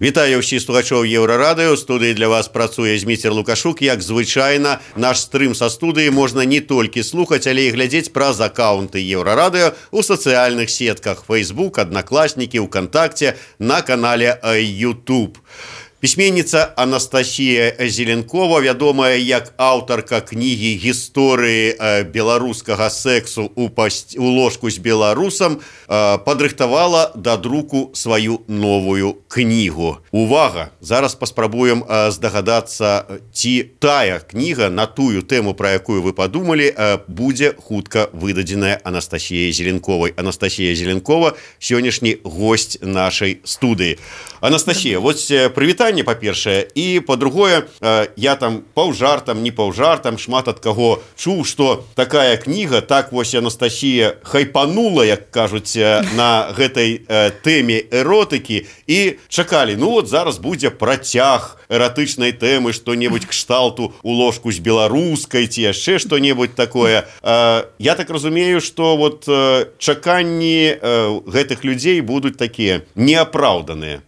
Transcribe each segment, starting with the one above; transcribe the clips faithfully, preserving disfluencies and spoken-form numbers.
Вітаю ўсіх слухачоў Еўрарадыё. Студыі для вас працуе Зміцер Лукашук. Як звычайна, наш стрым са студыі можна не толькі слухаць, але і глядзець праз акаунты Еўрарадыё у сацыяльных сетках Facebook, Аднакласнікі, ВКонтакте, на канале YouTube. Пісьменніца Анастасія Зеленкова, вядомая як аўтарка кнігі гісторыі беларускага сэксу ў паст... у ложку з беларусам, падрыхтавала да друку сваю новую кнігу. Увага! Зараз паспрабуем здагадацца, ці тая кніга на тую тэму, пра якую вы падумалі, будзе хутка выдадзеная Анастасіяй Зеленковай. Анастасія Зеленкова – сённяшні госць нашай студыі. Анастасія, вось прывітанне, па-першае, і па-другое, я там паўжартам, не паўжартам, шмат ад каго чуў, што такая кніга, так вось Анастасія хайпанула, як кажуць, на гэтай тэме эротыкі, і чакалі, ну вот зараз будзе працяг эратычнай тэмы, што-небудзь кшталту у ложку з беларускай, ці яшчэ што-небудзь такое. Я так разумею, што вот чаканні гэтых людзей будуць такія неапраўданыя.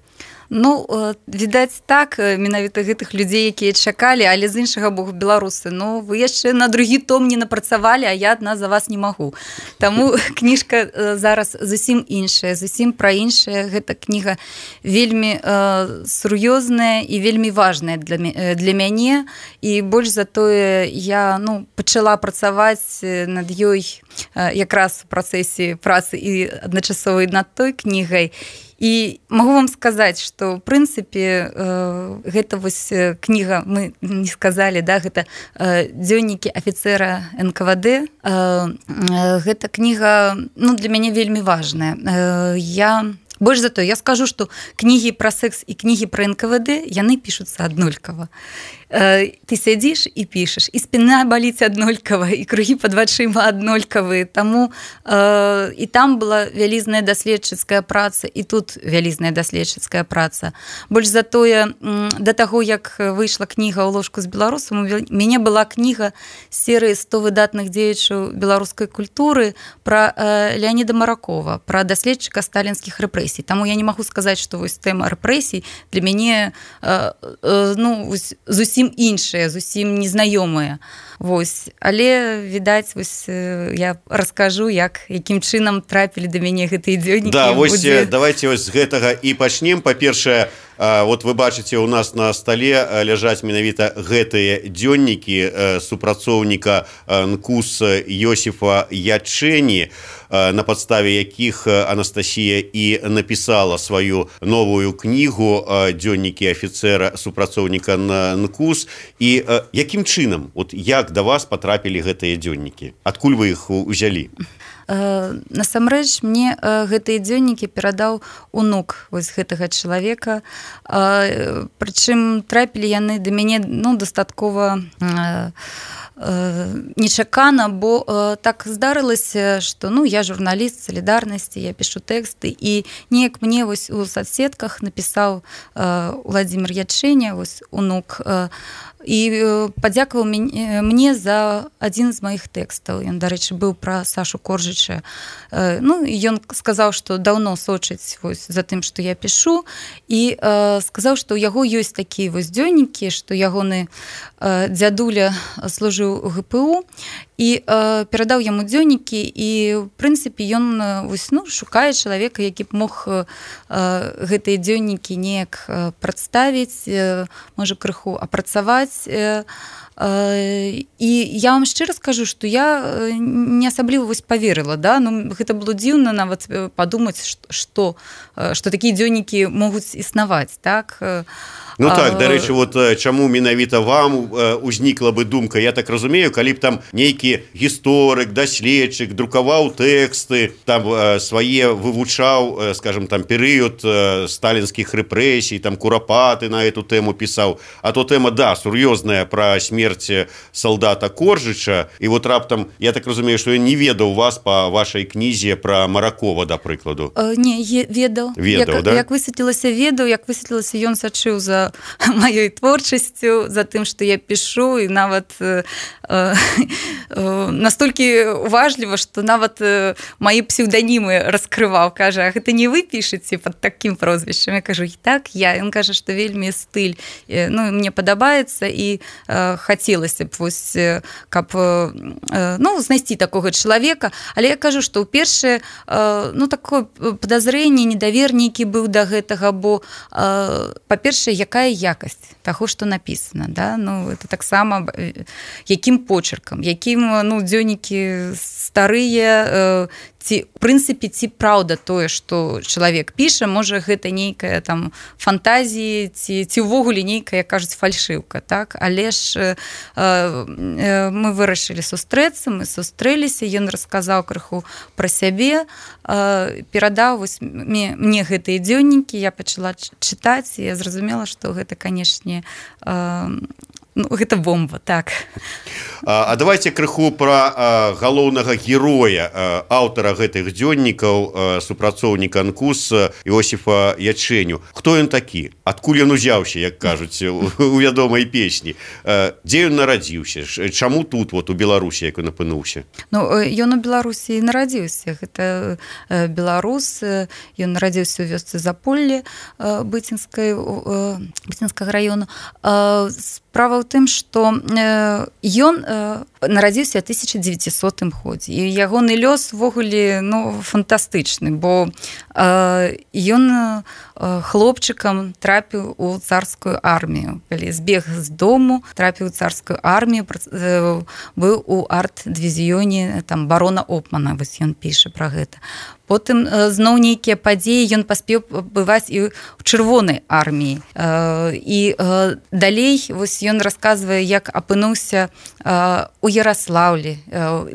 Ну, відаць так, менавіта гэтых людзей, якія чакалі, але з іншага боку беларусы, ну, вы яшчэ на другі том не напрацавалі, а я адна за вас не магу. Таму кніжка зараз зусім іншая, зусім пра іншае. Гэта кніга вельмі э, сур'ёзная і вельмі важная для, для мяне, і больш за тое я, ну, пачала працаваць над ёй э, якраз у працэсе працы і адначасова над той кнігай. І магу вам сказаць, што, ў прынцыпе, э, гэта вось кніга, мы не сказалі, да, гэта э, дзённікі афіцэра эн ка вэ дэ. Э, э, гэта кніга, ну, для мяне вельмі важная. Э, я... Больш за тое, я скажу, што кнігі пра секс і кнігі пра эн ка вэ дэ, яны пішуцца аднолькава. Ты сядзіш і пішаш, і спіна баліць аднолькава, і кругі пад вачыма аднолькавыя. Таму э, і там была вялізная даследчыцкая праца, і тут вялізная даследчыцкая праца. Больш за тое, да таго, як выйшла кніга ў ложку з беларусам, у мяне была кніга серыі сто выдатных дзеячаў беларускай культуры пра э, Леаніда Маракова, пра даследчыка сталінскіх рэпрэсій. Таму я не магу сказаць, што вось тэма рэпрэсій для мяне э, э, ну, вось, зусім іншыя, зусім незнаёмыя. Вось. Але, відаць, вось, я раскажу, як, якім чынам трапілі да мяне гэтыя дзённікі. Да, вось, будзе... давайте вось з гэтага і пачнем. Па-першае, вот вы бачыце, у нас на стале ляжаць менавіта гэтыя дзённікі супрацоўніка эн ка у эс Йосіфа Ячэні, на падставе якіх Анастасія і напісала сваю новую кнігу «Дзённікі афіцэра супрацоўніка эн ка у эс». І якім чынам, от як да вас патрапілі гэтыя дзённікі? Адкуль вы іх узялі? Насамрэч, мне гэтыя дзённікі перадаў унук вось гэтага чалавека. Прычым трапілі яны да мяне, ну, дастаткова нечакана, бо э, так здарылася, што, ну, я журналіст салідарнасці, я пішу тэксты, і неяк мне вось у соцсетках напісаў э, Владзімір Ячэня, вось унук, э, і э, падзякаваў мне за адзін з маіх тэкстаў. Ён, дарэчы, быў пра Сашу Коржыча. Э, ну, і ён сказаў, што даўно сочыць вось за тым, што я пішу, і э, сказаў, што ў яго ёсць такія вось дзённікі, што ягоны э, дзядуля служыў у гэ пэ у, і э, перадаў яму дзённікі, і в прынцыпе ён вось, ну, шукае чалавека, які б мог э, гэтыя дзённікі неяк э, прадставіць, э, можа крыху апрацаваць. э, э, і я вам шчыра скажу, што я не асабліва вось паверыла, да? Ну, гэта было дзіўна нават падумаць, што, што такія дзённікі могуць існаваць, так? Ну так, дарэчы, вот чаму менавіта вам узнікла бы думка, я так разумею, калі б там нейкі гісторык, даследчык друкаваў тэксты, там свае вывучаў, скажем, там перыяд сталінскіх рэпрэсій, там курапаты на эту тэму пісаў, а то тэма, да, сур'ёзная пра смерць салдата Коржыча, і вот раптам, я так разумею, што я не ведаў вас па па вашай кнізе пра Маракова, да прыкладу? Не, ведаў. Ведаў, як, да? Як высветлілася, ведаў, як высветлілася, ён сачыў за маёй творчасцю, за тым, што я пішу, і нават э, э, настолькі уважліва, што нават э, маі псевданімы раскрываў, кажа, а гэта не вы пішаце пад такім прозвішчам? Я кажу, так, я. Ён кажа, што вельмі стыль, э, ну, мне падабаецца, і э, хацелася б, вось, э, каб э, ну, знайсці такога чалавека, але я кажу, што ў першае э, ну, такое падазрэнне, недавер нейкі быў да гэтага, бо э, па-першае, якая якасць таго, што напісана, да? Ну, это таксама якім почеркам, якім, ну, дзённікі старыя, э, ці, в прынцыпе, ці праўда тое, што чалавек піша, можа, гэта нейкая там фантазія, ці, ці ўвогуле нейкая, кажуць, фальшыўка, так? Але ж э, э, мы вырашылі сустрэцца, мы сустрэліся, ён расказаў крыху пра сябе, э, перадаў вось, мне, мне гэтыя дзённікі, я пачала чытаць, і я зразумела, што гэта, канешне, э, ну, гэта бомба, так. А, а давайте крыху пра галоўнага героя, а, аўтара гэтых дзённікаў, а, супрацоўніка эн ку эс Іосіфа Ячэню. Хто ён такі? Адкуль ён узяўся, як кажуць у, у вядомай песні? А, дзе ён нарадзіўся? Чаму тут, вот, у Беларусі, як ён апынуўся? Ну, ён у Беларусі нарадзіўся. Гэта беларус, ён нарадзіўся ў вёсцы Заполле Быцінскай, Быцінскага раёну. Справа ў тым, што ён нарадзіўся ў тысяча дзевяцісотым годзе, і ягоны лёс увогуле, ну, фантастычны, бо ён хлопчыкам трапіў у царскую армію. Калі збег з дому, трапіў у царскую армію, быў у арт-дывізіёне там барона Опмана, вось ён піша пра гэта. Потым зноў нейкія падзеі, ён паспеў бываць і ў чырвонай арміі. І далей вось ён расказвае, як апынуўся у Яраслаўлі,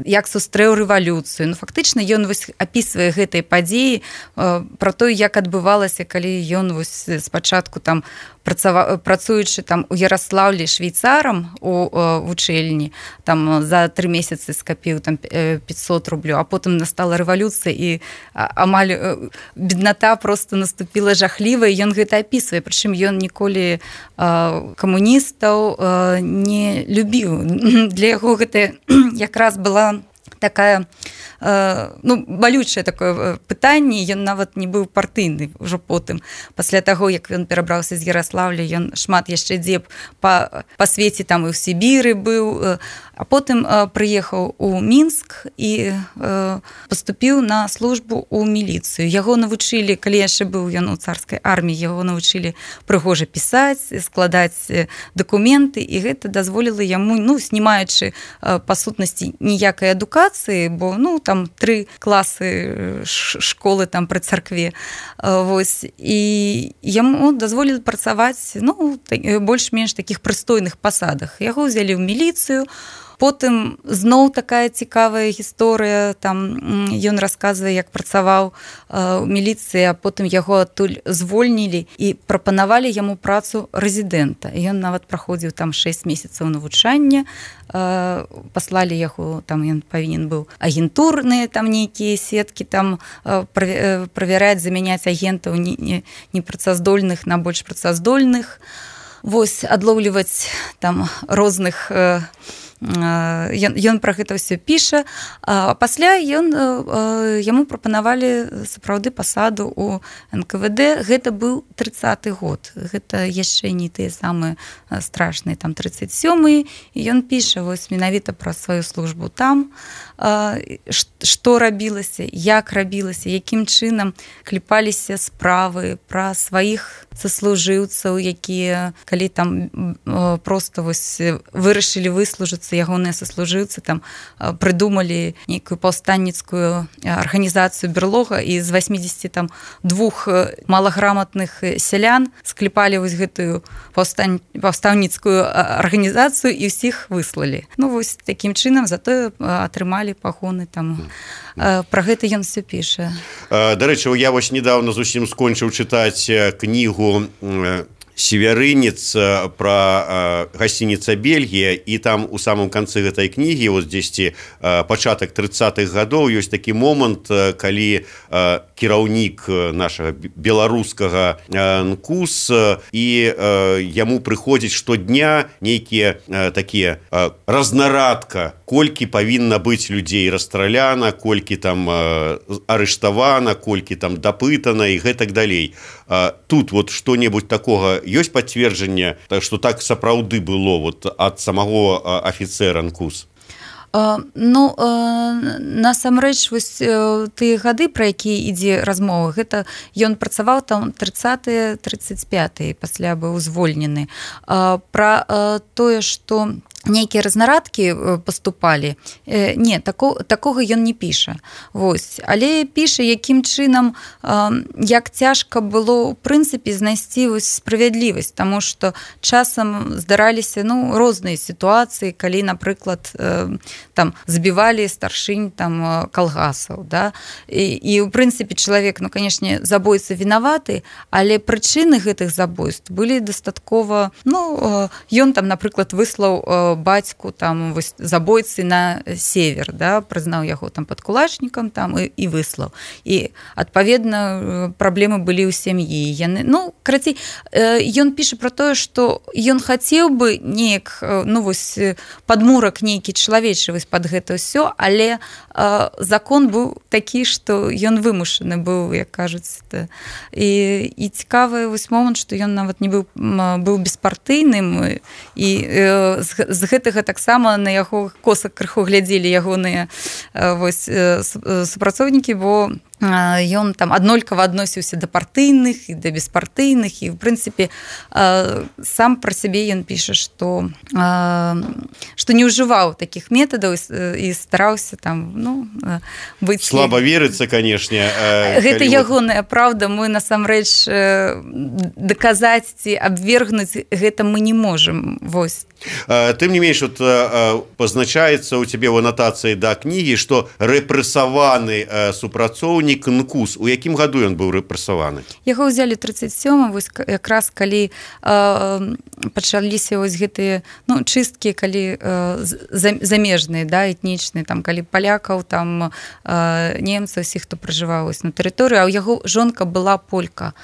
як сустрэў рэвалюцыю. Ну, фактычна ён вось апісвае гэтыя падзеі пра тое, як адбывалася, калі ён вось спачатку там працава, працуючы там у Яраслаўлі швейцарам у вучэльні, там за тры месяцы скапіў там пятьсот рублёў, а потым настала рэвалюцыя, і амаль бедната просто наступила жахлівая, ён гэта апісвае, прычым ён ніколі камуністаў не любіў. Для яго гэта якраз была такая, ну, балючае такое пытанне, ён нават не быў партыйны ўжо потым. Пасля таго, як ён перабраўся з Яраслаўля, ён шмат яшчэ дзе па, па свеце, там і ў Сібіры быў, а потым прыехаў у Мінск і паступіў на службу ў міліцыю. Яго навучылі, калі яшчэ быў ён у царскай арміі, яго навучылі прыгожа пісаць, складаць дакументы, і гэта дазволіла яму, ну, знімаючы па сутнасці ніякай адукацыі, бо, ну, там тры класы школы там пры царкве, вось, і яму дазволілі працаваць, ну, больш-менш такіх прыстойных пасадах. Яго ўзялі ў міліцыю. Потым зноў такая цікавая гісторыя, там ён расказвае, як працаваў у міліцыі, а потым яго адтуль звольнілі і прапанавалі яму працу рэзідэнта. Ён нават праходзіў там шэсць месяцаў навучання, паслалі яго, там ён павінен быў агентурныя там нейкія сеткі там правяраць, замяняць агентаў непрацаздольных на больш працаздольных, вось, адлоўліваць там розных. Ён, ён пра гэта ўсё піша, а пасля ён, яму прапанавалі сапраўды пасаду ў эн ка вэ дэ. Гэта быў трыццаты год, гэта яшчэ не тыя самыя страшныя, там трыццаць сёмы, і ён піша вось менавіта пра сваю службу там, што рабілася, як рабілася, якім чынам кліпаліся справы пра сваіх саслужыўцаў, якія, калі там проста вось вырашылі выслужыцца, ягоныя саслужыўцы там прыдумалі нейкую паўстанніцкую арганізацыю берлога, і з восьмідзесяці там двух малаграмотных сялян скліпалі вось гэтую паўстань, паўстаўніцкую арганізацыю і ўсіх выслалі. Ну вось такім чынам затое атрымалі пагоны там. Пра гэта ён все піша. Дарэчы, я вось недавно зусім скончыў чытаць кнігу северынец про гасцініца Бельгія, і там у самом канцы гэтай кнігі вот дзесьці пачатак трыццатых гадоў ёсць такі момант, калі кіраўнік нашага беларускага НКУС і яму прыходзіць штодня нейкія такія разнарадка, колькі павінна быць людзей расстраляна, колькі там арыштавана, колькі там дапытана і гэтак далей. Тут вот што-небудзь такога ёсць пацверджанне, што так сапраўды было вот ад самого афіцэра НКУС? Ну, насамрэч, вось тыя гады, пра якія ідзе размова, гэта ён працаваў там трыццатыя трыццаць пятыя, пасля быў звольнены. Пра тое, што нейкія разнарадкі паступалі, не, тако, такога ён не піша. Вось. Але піша, якім чынам, як цяжка было, ў прынцыпе, знайсці вось справядлівасць, таму што часам здараліся, ну, розныя сітуацыі, калі, напрыклад, там збівалі старшынь там калгасаў, да? І, і ў прынцыпе, чалавек, ну, канешне, забойца вінаваты, але прычыны гэтых забойств былі дастаткова, ну, ён там, напрыклад, выслаў бацьку там вось забойцы на север, да, прызнаў яго там падкулачнікам там і, і выслаў. І адпаведна праблемы былі ў сям'і. Яны, ну, карацей, ён піша пра тое, што ён хацеў бы неяк, ну вось падмурак нейкі чалавечы вось пад гэта ўсё, але э, закон быў такі, што ён вымушаны быў, як кажуць. Да. І, і цікавы вось момант, што ён нават не быў, быў беспартыйным, і э, з, з гэтага таксама на яго коса крыху глядзелі ягоныя вось супрацоўнікі, бо ён там аднолькава адносіўся да партыйных і да беспартыйных, і в прынцыпе сам пра сябе ён піша, што што не ўжываў такіх метадаў і стараўся там, ну, быць... Слаба верыцца, канешне. Гэта ягоная праўда, мы насамрэч даказаць ці абвергнуць гэта мы не можам. Вось. Тым не менш, вот, пазначаецца ў цябе ў анатацыі да кнігі, што рэпрэсаваны супрацоўнік НКУС. У якім году ён быў рэпрэсаваны? Яго ўзялі трыццаць сёмым, вось якраз калі э, пачаліся вось гэтыя, ну, чысткі, калі э, замежныя, да, этнічныя, там, калі палякаў, там, э, немцаў, усіх, хто пражываў на тэрыторыю, а ў яго жонка была полька.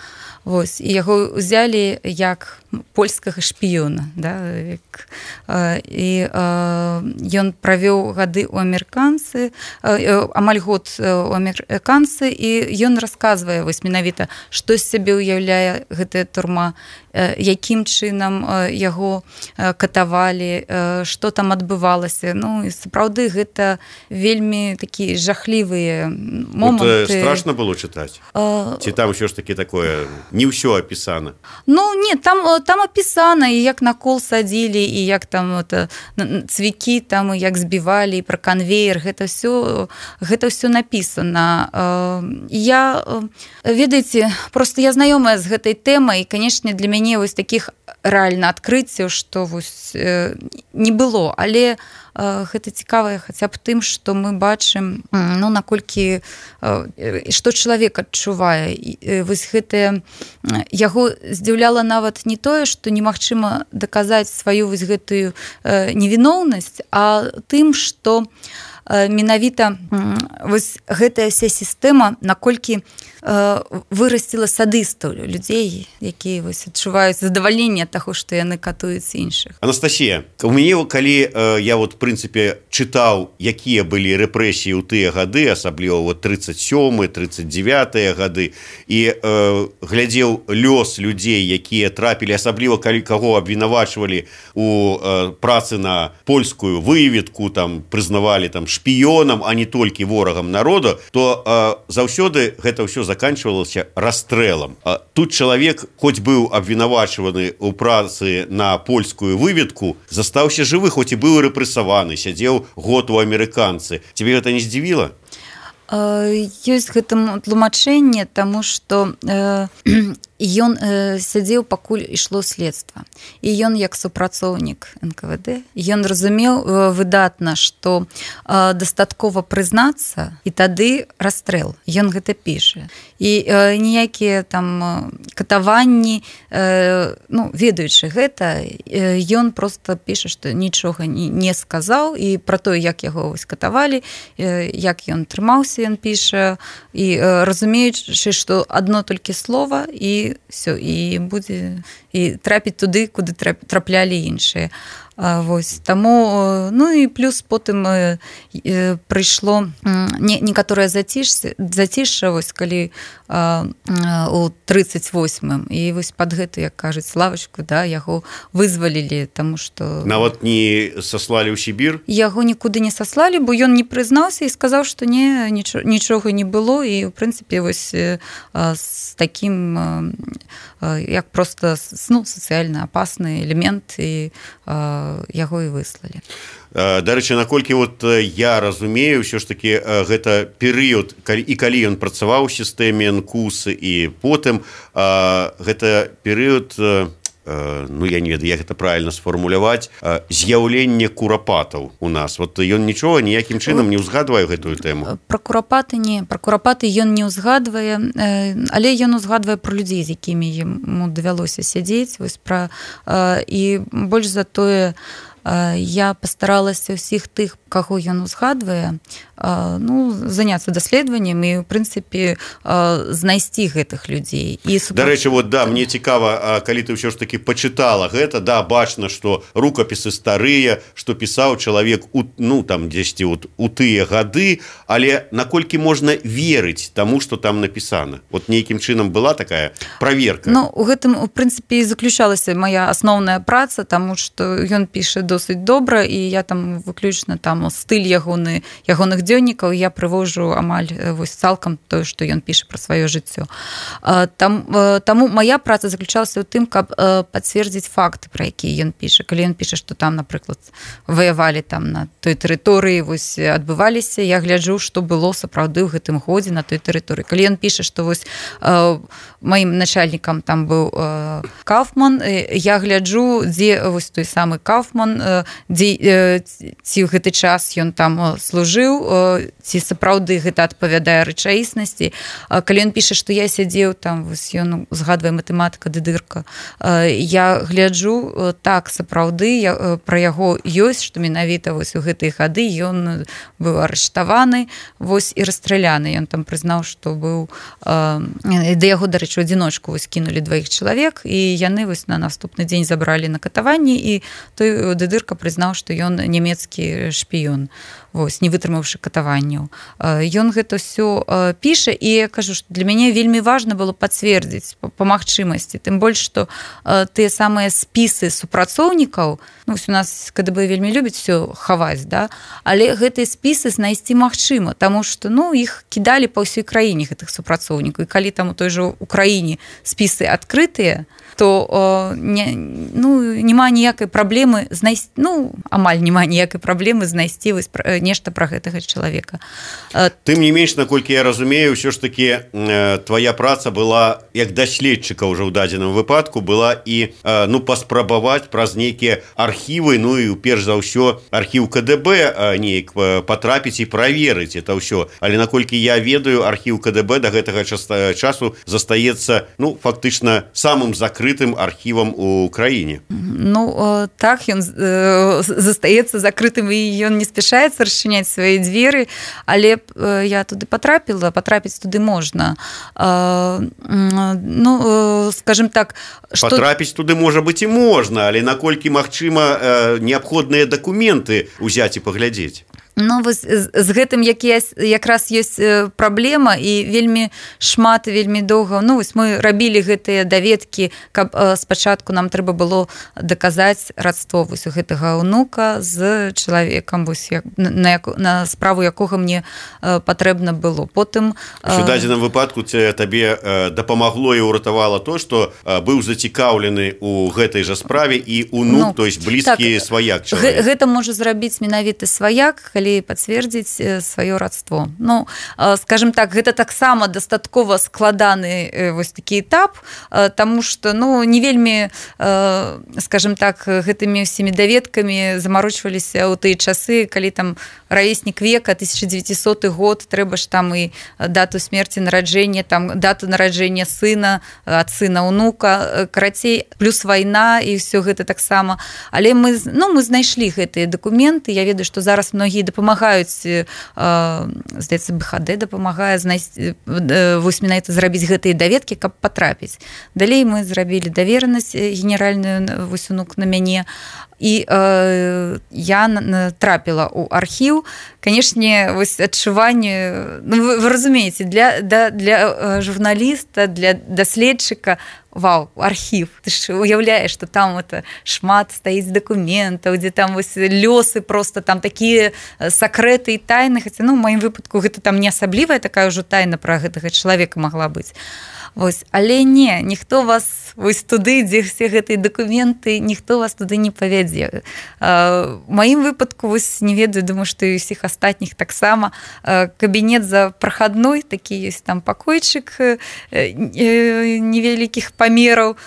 Вось, і яго ўзялі як польскага шпіёна, да, як, э, і э, ён правёў гады ў амерыканцы, э, амаль год у амерыканцы, і ён расказвае вось менавіта, што з сябе ўяўляе гэтая турма, э, якім чынам э, яго э, катавалі, э, што там адбывалася. Ну, і сапраўды гэта вельмі такія жахлівыя моманты. Вот, э, страшна было чытаць? Э, Ці там ўсё ж такі такое... Не ўсё апісана. Ну, не, там, там апісана, і як на кол садзілі, і як там это, цвікі, там, і як збівалі, і пра канвеер, гэта ўсё, гэта ўсё напісана. Я, ведаеце, просто я знаёмая з гэтай тэмай, і, канешне, для мяне вось такіх рэальна адкрыццяў, што вось не было, але гэта цікава хаця б тым, што мы бачым, ну, наколькі, што чалавек адчувае. Вось гэтае, яго здзіўляла нават не тое, што немагчыма даказаць сваю вось гэтую невіноўнасць, а тым, што менавіта вось гэтая вся сістэма, наколькі вырасціла садыстаў, людзей, якія вось адчуваюць задавальненне таго, што яны катуюць іншых. Анастасія, у мяне, калі я вот, в прынцыпе, чытаў, якія былі рэпрэсіі ў тыя гады, асабліва вот трыццаць сёмы, трыццаць дзевятыя гады, і э, глядзеў лёс людзей, якія трапілі, асабліва калі каго абвінавачвалі у э, працы на польскую выведку, там прызнавалі там шпіёнам, а не толькі ворагам народа, то э, заўсёды гэта ўсё заканчивалася расстрэлам. Тут чалавек, хоць быў абвінавачваны ў працы на польскую выведку, застаўся жывы, хоць і быў рэпрэсаваны, сядзеў год у амерыканцы. Цябе гэта не здзівіла? Ёсць гэтаму тлумачэнне, таму што э, ён э, сядзеў, пакуль ішло следства. І ён, як супрацоўнік эн ка вэ дэ, ён разумеў э, выдатна, што э, дастаткова прызнацца, і тады расстрэл. Ён гэта піша. І э, ніякія там катаванні, э, ну, ведаючы гэта, э, ён проста піша, што нічога не, не сказаў, і пра тое, як яго вось катавалі, э, як ён трымаўся, ён піша, і э, разумеючы, што адно толькі слова, і все, і будзе і трапіць туды, куды траплялі іншыя. Вось, таму, ну і плюс потым э, э, прыйшло не, некаторае зацішша, зацішша вось, калі э, э, у трыццаць восьмым, і вось пад гэту, як кажуць, лавачку, да, яго вызвалілі, таму што... Нават не саслалі ў Сібір? Яго нікуды не саслалі, бо ён не прызнаўся і сказаў, што не, нічога, нічога не было, і, ў прынцыпе, вось э, з такім, э, як проста, ну, сацыяльна апасны элемент, і э, яго і выслалі. Дарэчы, наколькі вот я разумею, ўсё ж такі гэта перыяд, і калі ён працаваў у сістэме эн ку эс, і потым гэта перыяд, ну я не ведаю, як гэта правільна сфармуляваць, з'яўлення курапатаў у нас. Вот ён нічога ніякім чынам не ўзгадвае гэтую тэму. Пра курапаты не, пра курапаты ён не ўзгадвае, але ён узгадвае пра людзей, з якімі яму давялося сядзець, вось пра, і больш за тое, я пастаралася ўсіх тых, каго ён узгадвае, ну, заняцца даследаваннем і, ў прынцыпе, знайсці гэтых людзей. І супраць... Дарэчы, вот, да, мне цікава, калі ты ўсё ж такі пачытала гэта, да, бачна, што рукапісы старыя, што пісаў чалавек у, ну, там, дзесьці вот, у тыя гады, але наколькі можна верыць таму, што там напісана? Вот нейкім чынам была такая праверка? Ну, у гэтым, у прынцыпе, і заключалася мая асноўная праца, таму што ён піша досыць добра, і я там выключна там стыль ягоны, ягоных дзённікаў я прывожу амаль вось цалкам тое, што ён піша пра сваё жыццё. Там, таму моя праца заключалася ў тым, каб пацвердзіць факты, пра якія ён піша. Калі ён піша, што там, напрыклад, ваявалі там на той тэрыторыі, вось адбываліся, я гляджу, што было сапраўды ў гэтым годзе на той тэрыторыі. Калі ён піша, што вось маім начальнікам там быў Кауфман, я гляджу, дзе вось той самы Кауфман, дзе ці ў гэты час ён там служыў, ці сапраўды гэта адпавядае рэчаіснасці. Калі ён піша, што я сядзеў там, вось ён згадвае матэматыка Дыдырка, я гляджу, так, сапраўды пра яго ёсць, што менавіта вось у гэтыя гады ён быў арыштаваны, вось і расстраляны. Ён там прызнаў, што быў, да яго, дарэчы, у адзіночку вось кінулі дваіх чалавек, і яны вось на наступны дзень забралі на катаванні, і той Дыдырка прызнаў, што ён нямецкі шпіён, вось, не вытрымаўшы катаванняў. Ён гэта ўсё піша, і я кажу, што для мяне вельмі важна было пацвердзіць па магчымасці, тым больш, што тыя самыя спісы супрацоўнікаў, ну, у нас ка дэ бэ вельмі любіць усё хаваць, да? Але гэтыя спісы знайсці магчыма, таму што, ну, іх кідалі па ўсёй краіне, гэтых супрацоўнікаў, і калі там у той жа Украіне спісы адкрытыя, то о, не, ну, няма ніякай праблемы знайсці, ну, амаль няма ніякай праблемы знайсці вось нешта пра гэтага чалавека. Тым не менш, наколькі я разумею, ўсё ж такі э, твая праца была, як даследчыка ўжо ў дадзеным выпадку, была і, э, ну, паспрабаваць праз нейкія архівы, ну, і перш за ўсё архіў ка дэ бэ э, неяк патрапіць і праверыць это ўсё. Але наколькі я ведаю, архіў ка дэ бэ да гэтага часу застаецца, ну, фактычна самым закрытым архівам у краіне. Ну, так, ён застаецца закрытым, і ён не спяшаецца расчыняць свае дзверы, але я туды патрапіла, патрапіць туды можна. Ну, скажем так... Што... Патрапіць туды, можа быць, і можна, але наколькі магчыма неабходныя дакументы ўзяць і паглядзець? Ну, вось з гэтым якраз ёсць праблема, і вельмі шмат, вельмі доўга, ну, вось мы рабілі гэтыя даведкі, каб спачатку нам трэба было даказаць радство вось у гэтага ўнука з чалавекам, вось, на, на справу якога мне патрэбна было. Потым... У дадзеным выпадку табе дапамагло і ўратавала то, што быў зацікаўлены у гэтай жа справе і ўнук, ну, то есть блізкі, так, сваяк чалавек. Гэта можа зрабіць менавіты сваяк, калі калі пацвердзіць сваё радство. Ну, скажем так, гэта таксама дастаткова складаны вось такі этап, таму што, ну, не вельмі, скажем так, гэтымі ўсімі даведкамі замарочваліся ў тыя часы, калі там равеснік века, тысяча дзевяцісоты год, трэба ж там і дату смерці, нараджэння, там дату нараджэння сына, ад сына ўнука, карацей, плюс вайна і ўсё гэта таксама. Але мы, ну, мы знайшлі гэтыя дакументы. Я ведаю, што зараз многія дапамагаюць, э, здаецца, бэ ха дэ дапамагае знайсці, э, вось менавіта зрабіць гэтыя даведкі, каб патрапіць. Далей мы зрабілі даверанасць генеральную, вось унук на мяне, і э, я трапіла ў архіў. Канешне, вось адчуванне, ну, вы, вы разумееце, для, для, для журналіста, для даследчыка, вау, архіў. Ты ж уяўляеш, што там это шмат стаіць дакументаў, дзе там вось лёсы просто, там такія сакрэты і тайны, хаця, ну, ў маім выпадку гэта там не асаблівая такая ўжо тайна пра гэтага чалавека магла быць. Вось, але не, ніхто вас вось туды, дзе все гэтыя дакументы, ніхто вас туды не павядзе. У маім выпадку, вось, не ведаю, думаю, што і ўсіх астатніх таксама. Кабінет за прахадной, такі ёсць там пакойчык невялікіх памераў,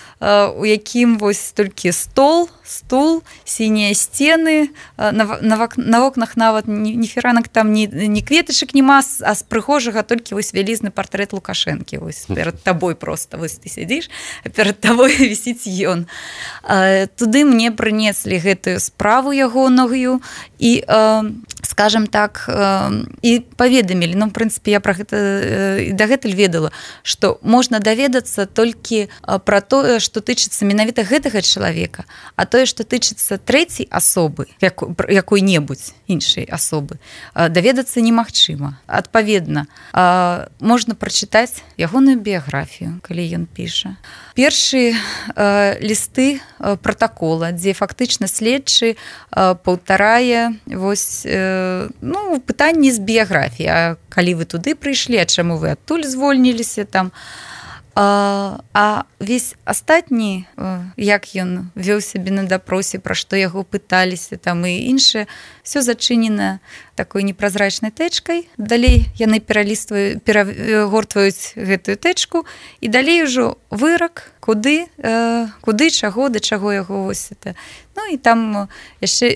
у якім вось толькі стол, стул, сінія сцены, на, на, на вокнах нават ні, ні фіранак там, ні, ні кветачак нема, а з прыгожага толькі вось вялізны партрэт Лукашэнкі, вось перад табой просто, вось ты сядзіш, а перад табой вісіць ён. Туды мне прынеслі гэтую справу ягоную і, скажем так, і паведамілі, ну, в прынцыпе, я пра гэта і дагэтуль ведала, што можна даведацца толькі пра тое, што тычыцца менавіта гэтага чалавека, а тое, што тычыцца трэцяй асобы, якой-небудзь іншай асобы, даведацца немагчыма. Адпаведна, можна прачытаць ягоную біяграфію, калі ён піша. Першыя лісты пратакола, дзе фактычна следчы паўтарае вось, ну, пытанні з біяграфіі. А калі вы туды прыйшлі, а чаму вы адтуль звольніліся там? А, а весь астатні, як ён вёў сябе на дапросе, пра што яго пыталіся там і іншае, все зачынена такой непразрачнай тэчкай. Далей яны пералістваюць, перагортваюць гэтую тэчку і далей ужо вырак, куды, куды, чаго, да чаго яго вось это. Ну і там яшчэ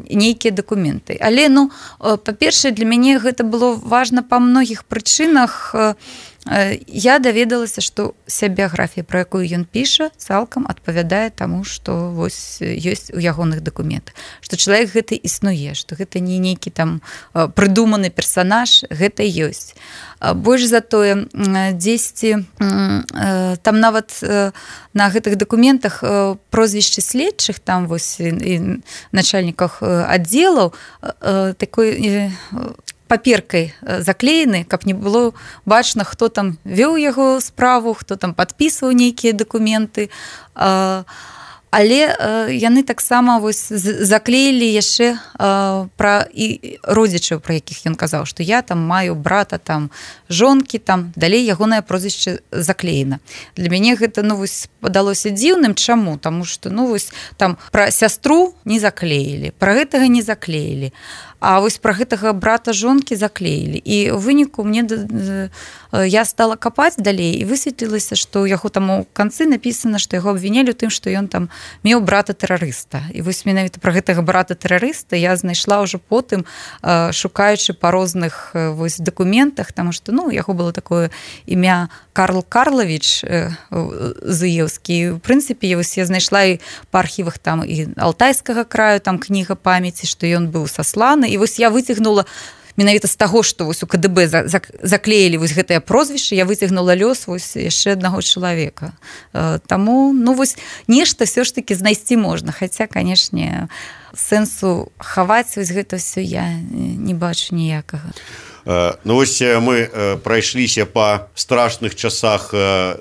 нейкія дакументы. Але, ну, па-першае, для мяне гэта было важна па многіх прычынах. Я даведалася, што ся біяграфія, пра якую ён піша, цалкам адпавядае таму, што вось ёсць у ягоных дакументах. Што чалавек гэты існуе, што гэта не нейкі там прыдуманы персанаж, гэта ёсць. Больш за тое, дзесьці там нават на гэтых дакументах прозвішчы следчых, там вось і начальніках аддзелаў, такой паперкай заклеены, каб не было бачна, хто там вёў яго справу, хто там падпісваў нейкія дакументы. Але яны таксама вось заклеілі яшчэ пра і родзічаў, пра якіх ён казаў, што я там маю брата, там жонкі, там далей ягонае прозвішча заклеена. Для мяне гэта, ну, вось падалося дзіўным. Чаму? Таму што, ну, вось там пра сястру не заклеілі, пра гэтага не заклеілі. А вось пра гэтага брата жонкі заклеілі. І ў выніку мне я стала капаць далей і высветлілася, што ў яго там у канцы напісана, што яго абвінялі ў тым, што ён там меў брата-тэрарыста. І вось менавіта пра гэтага брата-тэрарыста я знайшла ўжо потым, шукаючы па розных вось дакументах, таму што, ну, у яго было такое імя Карл Карлавіч Зуеўскі. В прынцыпе, вось я знайшла і па архівах там і Алтайскага краю, там кніга памяці, што ён быў сасланы. І вось я выцягнула менавіта з таго, што вось у ка дэ бэ заклеілі вось гэтае прозвішча, я выцягнула лёс вось яшчэ аднаго чалавека. Таму, ну, вось нешта все ж таки знайсці можна, хаця, канешне, сэнсу хаваць вось гэта ўсё я не бачу ніякага. Ну вось мы прайшліся па страшных часах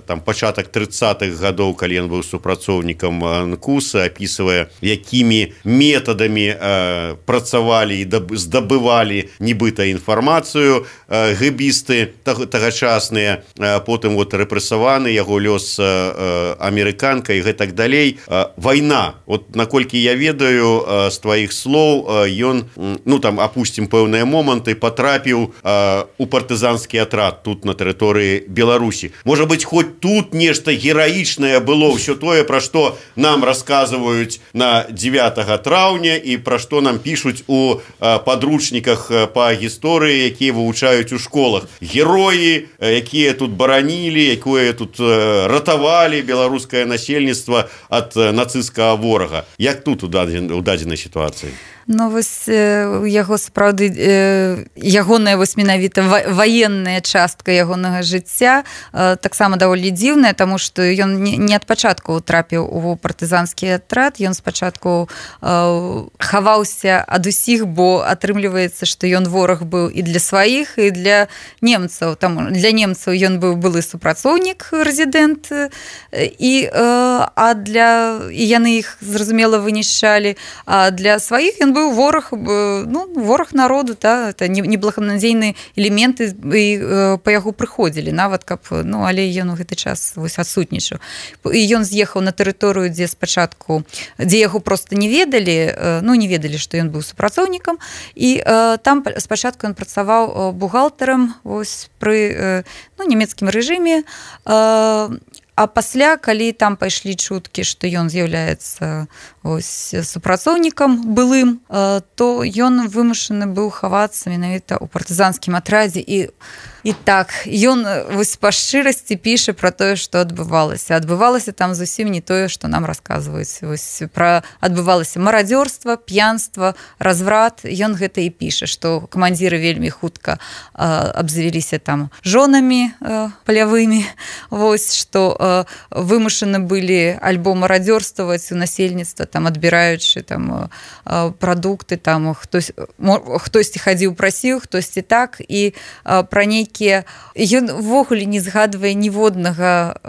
там пачатак трыццатых гадоў, калі ён быў супрацоўнікам НКУСа, апісвае, якімі метадамі працавалі і здабывалі нібыта інфармацыю гэбісты тагачасныя, потым вот рэпрэсаваны, яго лёс амерыканка і гэтак далей. Вайна, вот наколькі я ведаю з тваіх слоў, ён, ну там апусцім пэўныя моманты, патрапіў у партызанскі атрад тут на тэрыторыі Беларусі. Можа быць, хоць тут нешта гераічнае было, ўсё тое, пра што нам расказваюць на дзевятага траўня і пра што нам пішуць у падручніках па гісторыі, якія вывучаюць у школах. Героі, якія тут баранілі, якое тут ратавалі беларускае насельніцтва ад нацысцкага ворага. Як тут у дадзенай сітуацыі? Ну, вось яго сапраўды ягоная вось менавіта ваенная частка ягонага жыцця таксама даволі дзіўная, таму што ён не ад пачатку трапіў у партызанскі атрад, ён спачатку хаваўся ад усіх, бо атрымліваецца, што ён вораг быў і для сваіх, і для немцаў. Там для немцаў ён быў былы супрацоўнік, рэзідэнт, і а для і яны іх зразумела вынішчалі, а для сваіх ён быў вораг, ну, вораг народу, та, это неблаганадзейныя элементы і па яго прыходзілі, нават каб, ну, але ён у гэты час вось адсутнічаў. І ён з'ехаў на тэрыторыю, дзе спачатку, дзе яго проста не ведалі, ну, не ведалі, што ён быў супрацоўнікам, і там спачатку ён працаваў бухгалтарам вось пры, ну, нямецкім рэжыме, а пасля, калі там пайшлі чуткі, што ён з'яўляецца ось супрацоўнікам былым, то ён вымушаны быў хавацца менавіта ў партызанскім атрадзе. І, і так, ён вось па шчырасці піша пра тое, што адбывалася. Адбывалася там зусім не тое, што нам расказваюць. Вось пра адбывалася марадзёрства, п'янства, разврат. Ён гэта і піша, што камандзіры вельмі хутка абзавяліся там жонамі палявымі, вось, што вымушаны былі альбо марадзёрстваваць у насельніцтва, там адбіраючы там прадукты, там хтось хтосьці хадзіў прасіў, хтосьці так, і пра нейкія ён увогуле не згадвае ніводнага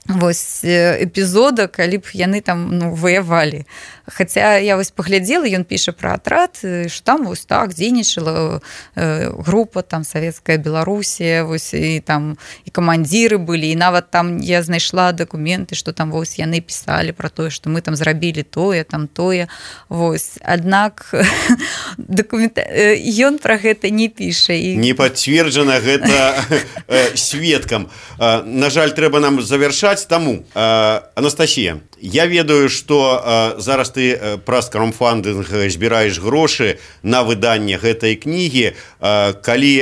вось эпізода, калі б яны там, ну, ваявалі. Хаця я вось паглядзела, ён піша пра атрад, што там вось так дзейнічала група там савецкая Беларусія, вось і там і камандзіры былі, і нават там я знайшла дакументы, што там вось яны пісалі пра тое, што мы там зрабілі тое, там тое. Вось. Аднак дакумента... ён пра гэта не піша. І... Не пацверджана гэта сведкам. На жаль, трэба нам завяршаць, таму. Анастасія, я ведаю, што зараз ты праз краудфандинг збіраеш грошы на выданне гэтай кнігі. Калі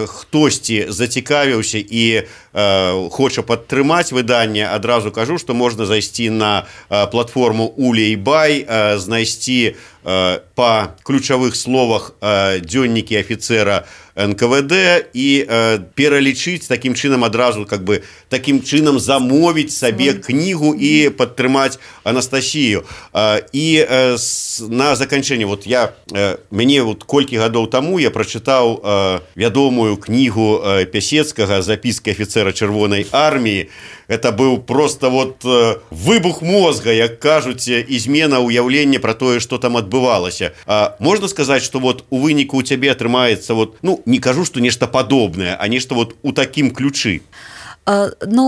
хтосьці зацікавіўся і хоча падтрымаць выданне, адразу кажу, што можна зайсці на платформу Улей-Бай, знайсці па ключавых словах дзённікі афіцера эн ка вэ дэ і пералічыць такім чынам адразу, как бы такім чынам замовіць сабе кнігу і падтрымаць Анастасію. І на заканчэнне, вот я мяне вот колькі гадоў таму я прачытаў вядомую кнігу Пясецкага «Записки офицера Чырвонай арміі». Это быў просто вот выбух мозга, як кажуць, і змена ўяўлення пра тое, што там адбывалася. А можна сказаць, што вот у выніку у цябе атрымаецца вот, ну, не кажу, што нешта падобнае, а нешта вот у такім ключы. Ну,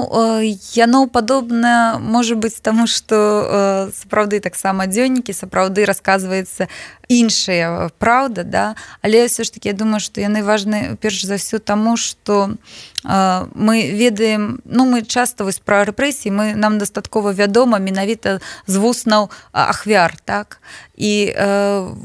яно падобна можа быць, таму што сапраўды таксама дзённікі, сапраўды расказваецца іншая праўда, да? Але ўсё ж такі я думаю, што яны важны перш за ўсё таму, што мы ведаем, ну, мы часта вось пра рэпрэсіі, мы, нам дастаткова вядома менавіта з вуснаў ахвяр, так? І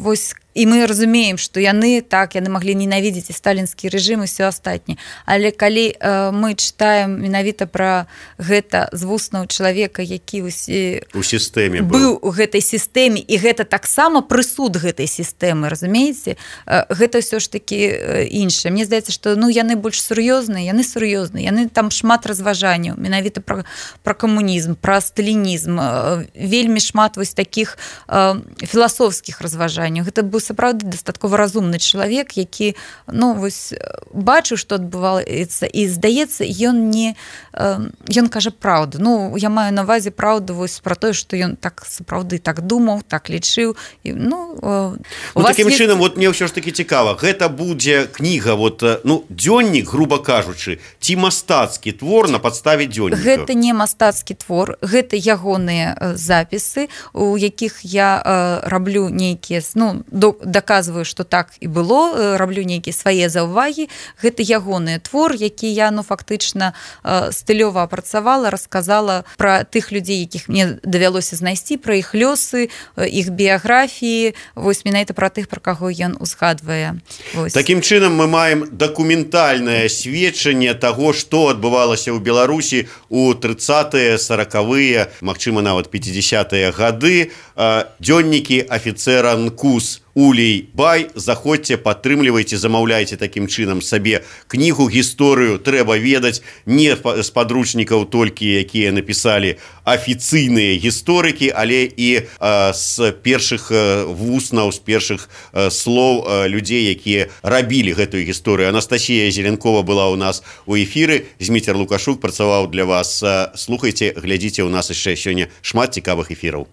вось і мы разумеем, што яны так, яны маглі ненавідзець і сталінскі рэжым і ўсё астатняе. Але калі мы чытаем менавіта пра гэта з вуснаў чалавека, які у сістэме быў у гэтай сістэме, і гэта таксама прысуд гэтай сістэмы, разумееце, гэта ўсё ж такі іншае. Мне здаецца, што, ну, яны больш сур'ёзныя, яны сур'ёзныя, яны там шмат разважанняў, менавіта пра, пра камунізм, пра сталінізм, вельмі шмат вось такіх э, філасофскіх разважанняў. Гэта быў сапраўды дастаткова разумны чалавек, які ну, вось, бачыў, што адбываецца, і здаецца, ён не э, ён кажа праўду. Ну, я маю на ўвазе праўду вось пра тое, што ён так сапраўды так думаў, так лічыў. І, ну, э, ну, такім есть... чынам, вот мне ўсё ж таки цікава, гэта будзе кніга, вот, ну, дзённік, грубо кажучы, ці мастацкі твор на падставе дзённіка? Гэта не мастацкі твор, гэта ягоныя запісы, у якіх я э, раблю нейкія, ну, до, даказваю, што так і было, э, раблю нейкія свае заўвагі. Гэта ягоны твор, які я, ну, фактычна э, стылёва апрацавала, расказала пра тых людзей, якіх мне давялося знайсці, пра іх лёсы, іх біяграфіі, вось менавіта пра тых, пра каго ён узгадвае. Вось. Такім чынам мы маем дакументальнае сведчанне таго, што адбывалася ў Беларусі у трыццатыя, саракавыя, магчыма, нават пяцідзясятыя гады. Дзённікі афіцэра НКУС Улей Бай. Заходзьце, падтрымлівайце, замаўляйце такім чынам сабе кнігу, гісторыю трэба ведаць не з падручнікаў толькі, якія напісалі афіцыйныя гісторыкі, але і а, з першых вуснаў, з першых а, слоў а, людзей, якія рабілі гэтую гісторыю. Анастасія Зеленкова была ў нас у эфіры, Зміцер Лукашук працаваў для вас. Слухайце, глядзіце, у нас яшчэ сёння шмат цікавых эфіраў.